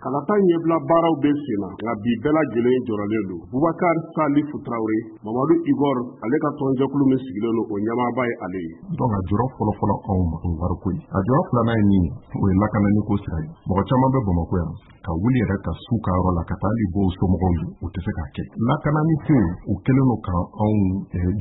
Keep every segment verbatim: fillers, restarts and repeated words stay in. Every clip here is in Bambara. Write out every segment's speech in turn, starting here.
Kalata ɲɛbila baaraw bɛ sen na, nka bi bɛɛ lajɛlen jɔrɔlen don. Bubakari Salifu Tarawele, Mamadu Igor ale ka tɔnjɛkulu min sigilen don, o ɲɛmaaba ye ale ye. Donc a jɔrɔ fɔlɔfɔlɔ anw ma, o ye wariko ye. A jɔrɔ filanan ye min ye, o ye lakanani ko sira ye. Mɔgɔ caman bɛ Bamakɔ yan, ka wuli yɛrɛ ka s'u ka yɔrɔ la ka taa hali bɔ u somɔgɔw ye, u tɛ se k'a kɛ. Lakanani ko, o kɛlen don ka anw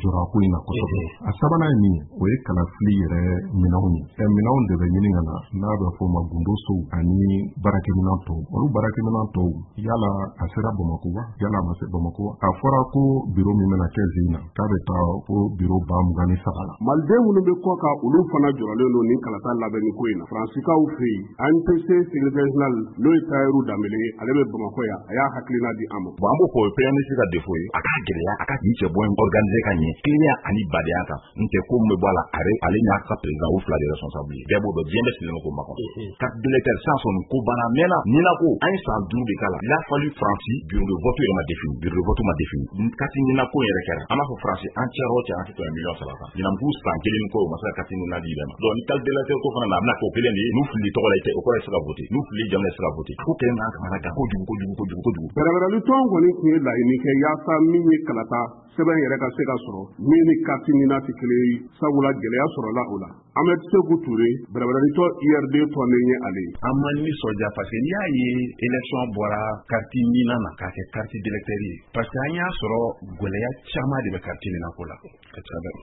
jɔrɔ a ko in na kosɛbɛ. A sabanan ye min ye, o ye kalafili yɛrɛ minɛnw ye. Ɛ minɛnw de bɛ ɲini ka na, n'a bɛ f'o ma gundo sow ani baarakɛminɛn tɔw. Olu baarakɛminɛn tɔw, yala a sera Bamakɔ wa, yala a ma se Bamakɔ wa? A fɔra ko biro min bɛna kɛ zen na, k'a bɛ taa ko biro ba mugan ni saba la. Maliden minnu bɛ kɔ kan, olu fana jɔrɔlen don nin kalata labɛnni ko in na. Faransikaw fɛ yen, A N P C secrétaire général, n'o ye Tayiru Danbele ye, ale bɛ Bamakɔ yan, a y'a hakilina di an ma. Bon, an b'o fɔ, o ye Premier ministre ka défaut ye. A k'a gɛlɛya a ka nin cɛ bɔ in organiser ka ɲɛ, tilennenya ani badenya kan. N tɛ ko min bɛ bɔ a la, ale ale n'a ka président, o fila de responsable ye. Bɛɛ b'o dɔn, diɲɛ bɛɛ sigilen bɛ k'o makɔnɔ. Carte d'électeur sisan sɔn nin ko banna a mɛnna. Nina ko an ye san duuru de k'a la. Il a fallu Faransi bureau de vote yɛrɛ ma défini, bureau de vote ma défini. Carte nina ko yɛrɛ kɛra, an b'a fɔ Faransi an cɛyɔrɔ o cɛ, an tɛ tɛmɛ miliyɔn saba kan. Ɲinan k'u san kelen ni kɔ, u ma se ka carte nina di yɛrɛ ma. Donc ni carte d'électeur ko fana na, a bɛna k'o kelen de ye. N'u filili tɔgɔ la, i tɛ o kɔrɔ i tɛ se ka voter. N'u filili jamu la, i tɛ se ka voter. Ko kɛlen n'an kamana gan kojugu kojugu kojugu kojugu. Bɛrɛbɛrɛli tɔn kɔni tun ye laɲini kɛ yaasa min ye kalata sɛbɛn yɛrɛ ka se ka sɔrɔ min ni carte nina tɛ kelen ye, sabula gɛlɛya sɔrɔla o la. Ahmed Seku Ture, bɛrɛbɛrɛli tɔn U R D tɔnden ye ale ye. An ma nisɔndiya parce que n'i y'a ye élection bɔra carte nina na k'a kɛ carte d'électeur ye, parce que an y'a sɔrɔ gɛlɛya caman de bɛ carte nina ko la.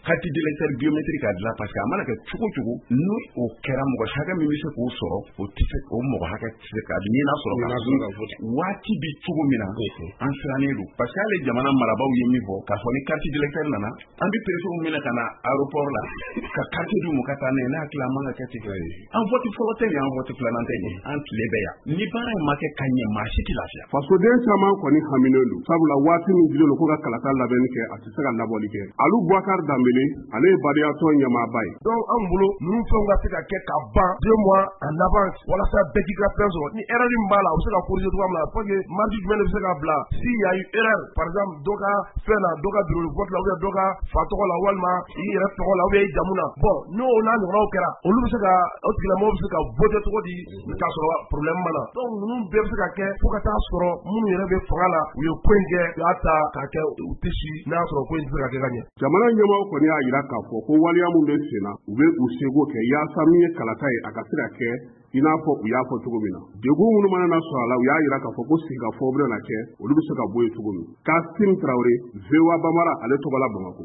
Carte d'électeur biométrique ka dilan, parce que a mana kɛ cogo cogo, n'o o kɛra, mɔgɔ hakɛ min bɛ se k'o sɔrɔ, o tɛ se, o mɔgɔ hakɛ tɛ se ka nina sɔrɔ ka waati bi cogo min na. An sirannen don parce que hali jamana marabaaw ye min fɔ k'a fɔ ni carte d'électeur nana, an bɛ préfet minɛ ka na aéroport la ka carte d'u ma ka taa n'a ye. Ne hakili, an man ka kɛ ten. An vote fɔlɔ tɛ nin, an vote filanan tɛ nin, an tile bɛ yan. Ni baara in ma kɛ ka ɲɛ, maa si tɛ lafiya. Fasoden caman kɔni haminen don, sabula waati min dilen don ko ka kalata labɛnni kɛ, a tɛ se ka labɔli kɛ. Alu Bubakari Danbele, ale ye badiyatɔn ɲɛmaaba ye. Donc anw bolo, ninnu fɛnw ka se ka kɛ ka ban deux mois en avance walasa bɛɛ k'i ka fɛn sɔrɔ. Ni erreur min b'a la, a bɛ se ka corriger cogoya min na, pour que marge jumɛn de bɛ se ka bila s'il y a eu erreur, par exemple dɔ ka fɛn na, dɔ ka bureau de vote la, ou bien dɔ ka fa tɔgɔ la, walima i yɛrɛ tɔgɔ la, ou bien i jamu na. Bon, n'o n'a ɲɔgɔnnaw kɛra, olu bɛ se ka, o tigilamɔgɔw bɛ se ka voter cogo di k'a sɔrɔ problème ma na? Donc ninnu bɛɛ bɛ se ka kɛ fo ka taa sɔrɔ minnu yɛrɛ bɛ fanga la, u ye ko in kɛ, u y'a ta k'a kɛ u tɛ si n'a y'a sɔrɔ ko in tɛ se ka kɛ ka ɲɛ. Jamana ɲɛmaaw kɔni y'a jira k'a fɔ ko waleya min bɛ sen na, u bɛ u seko kɛ yaasa min ye kalata ye, a ka se ka kɛ i n'a fɔ u y'a fɔ cogo min na. Degun minnu mana na sɔrɔ a la, u y'a jira k'a fɔ ko sigikafɔ bɛna kɛ, olu bɛ se ka bɔ yen cogo min. Kasim Tarawele, V O A Bambara, ale tɔgɔ la Bamakɔ.